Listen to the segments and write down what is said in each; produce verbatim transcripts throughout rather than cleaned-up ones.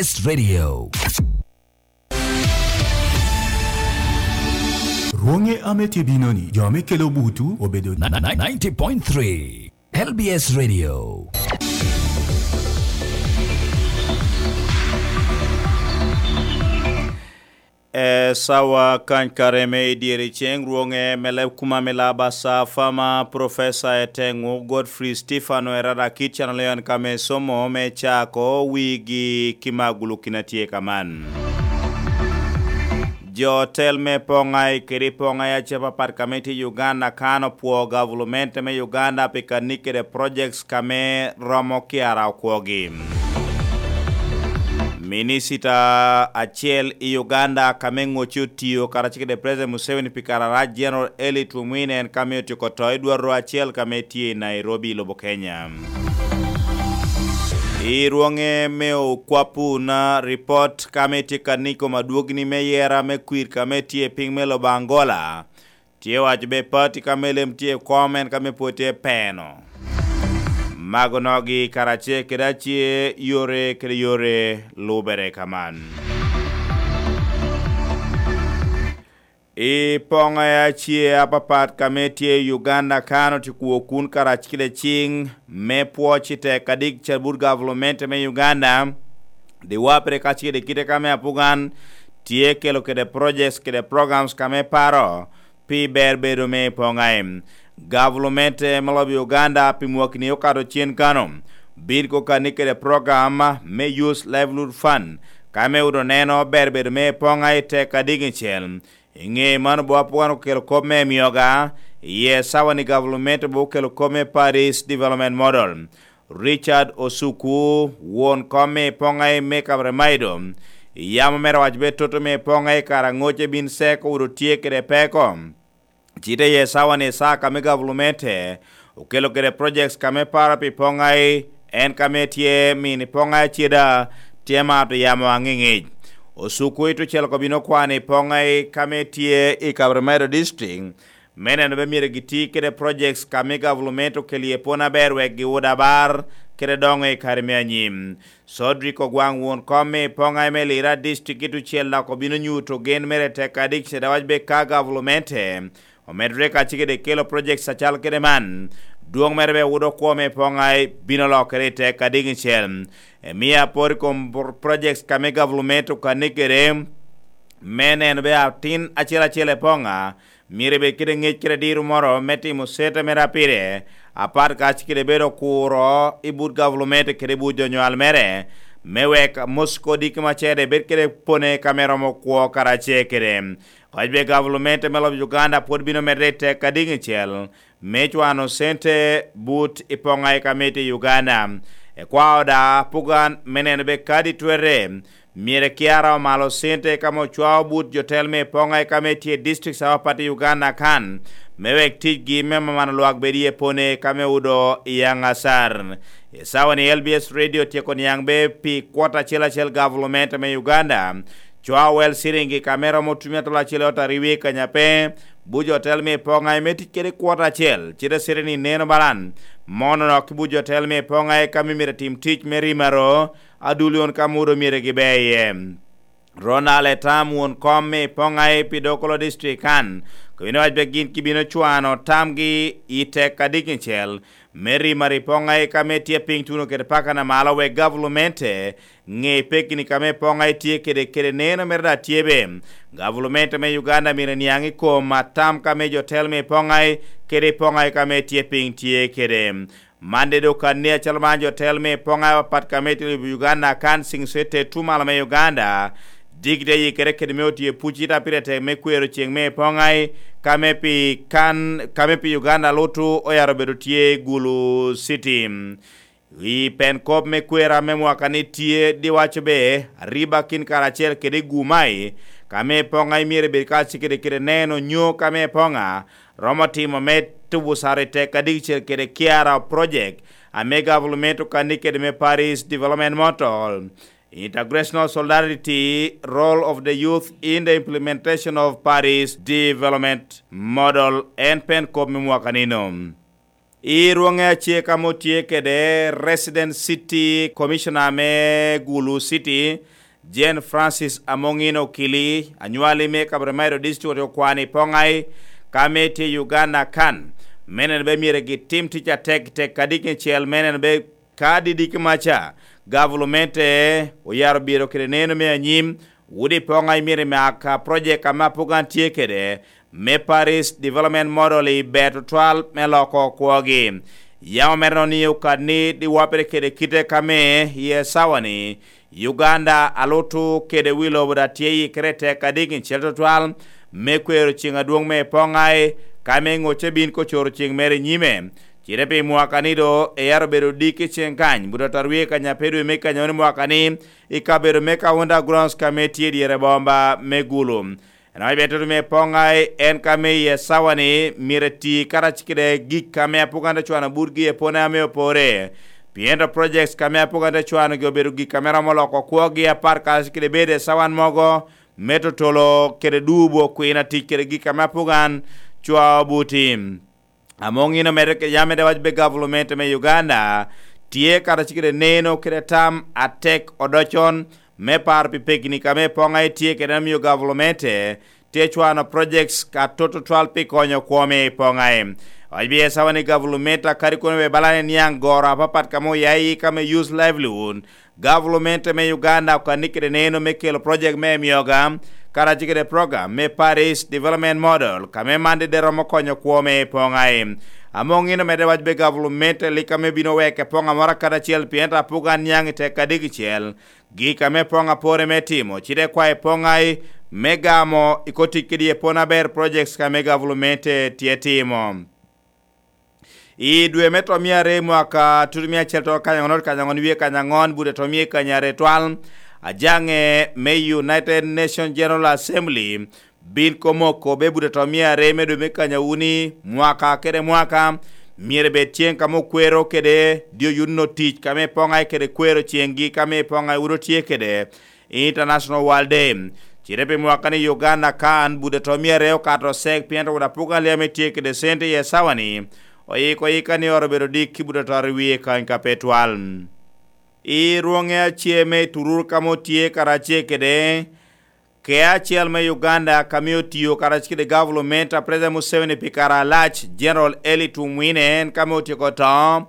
Radio. Rwoŋe ame tye bino-ni, jo ame kelo butu obedo ni- ni- ni- ninety point three L B S Radio. E sawa kany kare me i dyere ceŋ, rwoŋe me leb kuma me laba sa fama, Professor Eteŋu Godfrey Stefano Erada Kit Channel Leon kame somo me cako wigi ki magulu kin atye kaman. Jo tel me poŋai kede poŋai ace papat kame tye i Uganda kan opwo gavulumente me Uganda pi kani kede projects kame romo kiara okwogi. Minicita acel i Uganda kame ŋocci otiyo karacel kede President Museveni pi kare arac, General Eli Tumwine, en kame otyeko to i dwarro acel kame tye i Nairobi, lobo Kenya. I rwoŋe me okwapuna, ripot kame tye ka niko madwogni me yera me kwir kame tye i piny me lobo Angola, tye waco be pati kame lem tye i kom en kame pwod tye peno. Mago nogi karacel kede ace yore kede yore lubere kaman. I poŋe ace apapat kame tye i Uganda kan otyeko kun karacel kede ciŋ me pwoc i tek adik cabut gavulumente me Uganda, diwapere kacel kede kite kame apugan tye kelo kede projects kede programs kame paro pi ber bedo me poŋai. Gavulumente me lobo Uganda pi mwakni okato cen kano bin kokani kede program me Youth Livelihood Fund, kame odo neno ber bedo me poŋai tek adiŋicel. I ŋe mano bo apugan okelo kop me mioga, iye sawa ni gavulumente bo okelo kop me Paris Development Model. Richard Osuku, won kom me poŋai me Kaberamaido, yamo mere waco be toto me poŋai kara ŋoce bin seko odo tye kede peko. Cite ye sawa ni saa kame gavulumente okelo kede projects kame paro pi poŋai, en kame tye mini poŋai aceda tye mato yamo aŋiŋic. Osuku ito cel kobino kwano i poŋai kame tye i Kaberamaido District, me neno be myero giti kede projects kame gavulumente okelo iye pwon aber wek giwud abar kede doŋo i kare me anyim. Codric Ogwaŋ, won kom me poŋai me Lira District i tucel dok obino nyuto gen mere tek adik cede awac be ka gavulumente omedore kacel kede kelo projects acalo kede man, dwoŋ mere be wudo kwo me poŋai bino lokere i tek adiŋicel. Emia apor i kom pro-, projects kame gavulumente okane kede me neno be atin acel acel i poŋa myero ebed kede ŋec kede diro moro me timo sete mere apire, apat kac kede bedo kuro i but gavulumente kede but jo nywal mere, me wek Mosco diki macede bed kede pone kame romo kwo karacel kede. Koc be gavulumente me lobo Uganda pwod bino medde i tek adiŋicel me cwano cente but i poŋai kame tye i Uganda. Ekwao da pugan me neno be kadi twere, myero ekiara omalo cente kame ocwao but jotel me poŋai kame tye i district apapat i Uganda kan, me wek ticgi me mamano lwak bed iye pone kame odo i Yangasar. I sawa ni L B S Radio tyeko niaŋ be pi kwot acel acel gavulumente me Uganda, cwao wel ciringi kame romo tumi atol acel ot aryo i kanya pe, buco otel me poŋai me tic kede kwot acel, cite ciringi neno balan, mono nok ki buco otel me poŋai kame myero tim tic me rimaro, adulion kame odo myero gibe iye. Ronald Etam, won kom me poŋai pi Dokolo District kan, kobino wac be gin kibino cwano tamgi i tek adiŋicel, me rimaro i poŋai kame tye piny tuno kede paka na malo wek gavulumente ŋe pekini kame poŋai tye kede, kede neno mere da tye be. Gavulumente me Uganda myero niaŋ i kom atam kame jo tel me poŋai kede poŋai kame tye piny tye kede. Man de dok anni acalo man jo tel me poŋai apapat kame tye i Uganda kan ciŋ cwette tu malo me Uganda, digde yikere kede me otye puc ita pire tek me kwero ceŋ me poŋai kame pi kan, kame pi Uganda lutu oyaro bedo tye Gulu City. I pen kop me kwera me mwaka ni tye diwaco be, ariba kin karacel kede gumai, kame poŋa imyero ebed ka cikede kede neno nyo kame poŋa romo timo me tubu sara i tek adigicel kede kiara project, ame gavulument okani kede me Paris Development Model, Intergenerational Solidarity, Role of the Youth in the Implementation of Paris Development Model, en pen kop me mwaka nino. I rwoŋe ace ka mo tye kede Resident City Commissioner me Gulu City, Jane Francis Amongin Okili, anywali me Kabremairo District okwano i Poŋai, ka me tye Uganda kan, me neno be myero gitim tic atek tek kadi kicel me neno be ka didiki maca, gavulumente oyaro biro kede neno me anyim, wudi Poŋai myero imak project ame apogan tye kede, me Paris Development Model i ber tutwal me loko kwogi. Yam omero ni okadni diwapere kede kite ka me i esawa-ni, Uganda alutu kede wi lobo da tye yikere tek adiki cel tutwal me kwero ceng adwoŋ me Poŋai, ka me ŋocce bin kocoro ceng mere i nyime. Cite pi mwaka ni do eyaro bedo diki ceng kany, buto tarwie kanya pe dwe me kanya woni mwaka ni, i kabedo me Kaunda Grounds ka me tye dyere bomba me Gulu. En awac bene toto me Poŋai en ka me i esawa-ni myero eti karac kede gik ame apwog an te cwano butgi epone ame opore. Pien to projects ka me apwog an te cwanogi obedo gik ame romo loko kwogi apar karac kede bedo esawan mogo me totolo kede dubo kwina tic kede gik ame apwog an cwao buti. Amoŋino medde kede yam medde wac be gavulumente me Uganda tye karac kede neno kede tam atek odocon me paro pi pekni ka me Poŋai tye kede, amio gavulumente tye cwano projects ka toto twal pi konyo kwome i Poŋai. Wac bi esawa ni gavulumente akadi kono be balane niaŋ goro apapat ka me oya i ka me youth livelihood, gavulumente me Uganda okanni kede neno me kelo project me mioga, karac kede program me Paris Development Model, ka me man dede romo konyo kwome i Poŋai. Amoŋino medde wac be gavulumente lik ame bino weke Poŋa moro akadi acel pien ta pwog an niaŋ i tek adiki cel, gik ame Poŋa pore me timo, cite kwayo Poŋai me gamo i kotic kede ye pon aber projects ka me gavulumente tye timo. I dwe me tomia are mwaka tutumia acel to kanya ŋon kanya ŋon wie kanya ŋon bude tomia kanya are twal, ajaŋe me United Nations General Assembly bin komoko be bude tomia are me dwe me kanya wuni mwaka kede mwaka, myero bed ceng ka mo kwero kede dio yuno tic ka me Poŋai kede kwero cenggi ka me Poŋai wuro tye kede International World Day. Cite pi mwaka ni Uganda kan bude to myero okato sek pien to wod apuga liame tye kede sente i esawa ni, oyiko yika ni oro bedo dik ki bude to i wie kany ka pe twal. I rwoŋe ace me turur ka mo tye karace kede ke acel me Uganda ka me otiyo karace kede gavulument a President Museveni pi kara alac, General Eli Tumwine en ka me otyeko to,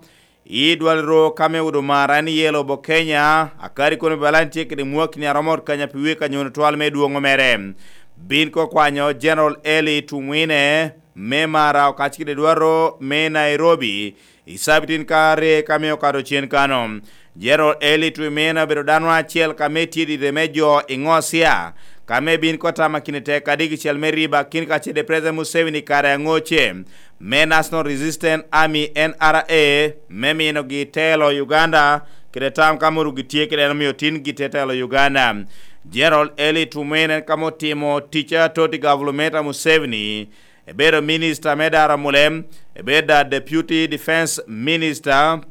I dwal ro ka me Huduma Rani ye lobo Kenya, akadi kono Balan tye kede mwakni aromo ot kanya pi wek anyono twal me dwoŋo mere. Bin ko kwanyo General Eli Tumwine me Mara okac kede dwal ro me Nairobi, i sabitin ka are ka me okato cen kano. General Eli Tumwine obedo dano acel ka me tye dide me jo i Ngosia, ka me bin ko tama kine tek kadi kicel me riba kin ka cede President Museveni kare aŋoce. Me National Resistance Army, N R A, me minogi telo Uganda, kede tam ka mono gitye kede en omio tin gitye telo Uganda. General Eli Tumwine en ka motimo tic atot i gavulumenta Museveni, ebedo minista me daro mulem, ebedo da Deputy Defense Minister,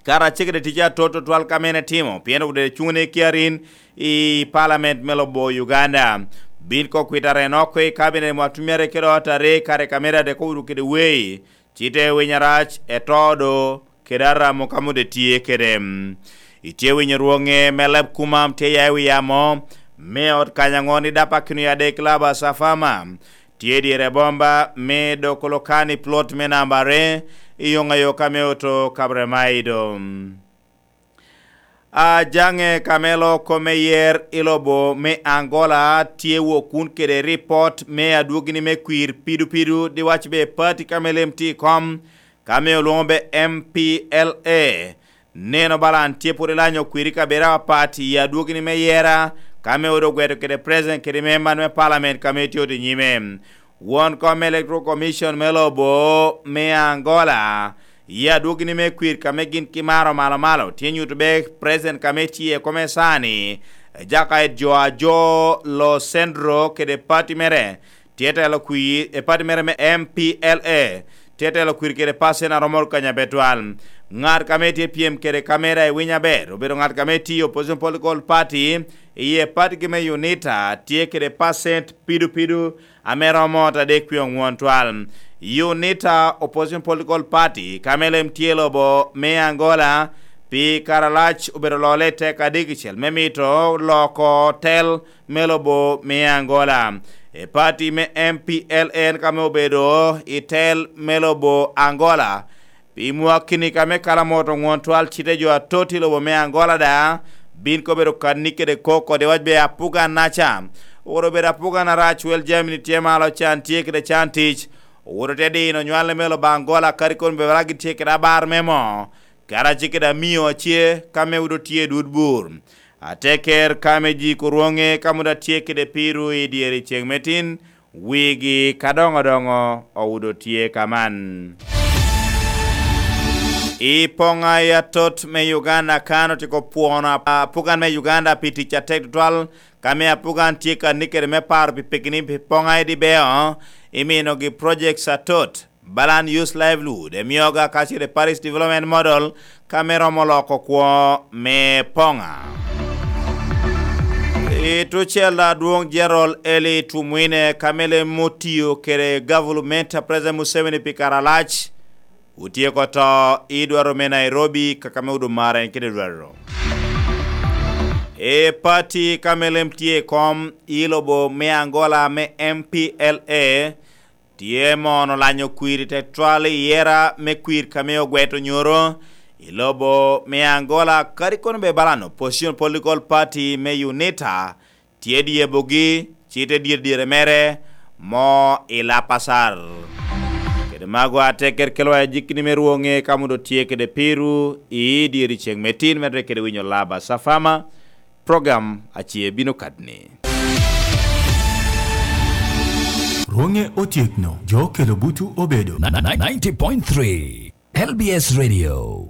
kara cegede tic atot tutwal ka mene timo, pien obede cuŋne kiarin i palament me lobo Uganda. Bin ko kwita reno oko i kabinet mwa tumere kede ot are kare ka mere adek owudu kede wei, cite winy arac, etodo, kede aramo ka mode tye kede. Itye winyo rwoŋe me leb kumam tye ya i wi yamo, me ot kanya ŋo ni dapa kino ya dek laba safama, tye dyere bomba me doko lokani plot me namba are, i yoŋ ayo ka me oto kabre maido. Ajaŋe Kamelo kome yer i lobo me Angola tye wok kun kede ripot me adwogini me kwir pidupidu di wac be pati ka me lem tye i kom ka me olwoŋo be M P L A. Neno balan tye pwod ilanyo kwiri kabera apapat i adwogini me yera ka me odo gweto kede president kede member me parliament ka me tye odi nyime. Won kom Electoral Commission me lobo me Angola, i adwogini me kwir ka me gin ki maro malo malo, tye nyuto be president ka me tye kome sani, Jakayet Jo Ajo Lo Centro kede pati mere, tye telo kwir, e pati mere me M P L A, tye telo kwir kede pacent aromo kanya pe twal. Ŋat ka me tye pyem kede kamera i winy aber, obedo ŋat ka me tye i Opposition Political Party, iye pati gi me Unita, tye kede pacent pido pido, ame romo ot adek pye oŋwon twal. Unita Opposition Political Party, ka me lem tye i lobo me Angola, pi kare alac obedo lole i teko adek kicel me mito loko tel me lobo me Angola. E pati me M P L N ka me obedo i tel me lobo Angola, pi mwakki-ni ka me kalamoto ŋwon twal cite jo atot i lobo me Angola da, bin kobedo kanni kede koko de wac be apugan naca. Oro bedo apugan arac wel jami-ni tye malo can tye kede can tic. Owuto te dino nywalli me lobo Angola kadi kono bebera gitye kede abar me moo, kara ci kede amio ace ka me wudo tye i dud bur. Ateker ka me ji kurwoŋe ka muda tye kede piru i dyere ceŋ me tin, wigi ka doŋo doŋo owudo tye ka man. I poŋa i atot me Uganda kan otiko pwono apugan me Uganda pi tic atek tutwal, ka me apugan tye ka nikere me paro pi pekini pi poŋa i dibeo, iminogi projects atot. Balan Youth Livelihood, Emyoga kacel i Parish Development Model, ka me romo loko kwo me poŋa. I tucel adwoŋ General Eli Tumwine ka me lem otiyo kede gavulumenta President Museveni pi kare alac, otyeko to i dwaro me Nairobi kaka me odo mara en kede dwaro. E pati ka me lem tye i kom i lobo me Angola me M P L A, tye mono lanyo kwir i tetwal i yera me kwir ka me ogweto nyoro i lobo me Angola, kadi kono be balan Opposition Political Party me Unita tye dyebogi, ci te dyere dyere mere mo i Lapasar. Kede mago ateker kelwa i jikini me rwoŋe ka mudo tye kede piru i dyere ceŋ me tin mere kede winyo laba safama. Program ace bino kadni. Rwoŋe otyekno, jo okelo butu obedo. Na- na- na- ninety point three L B S Radio.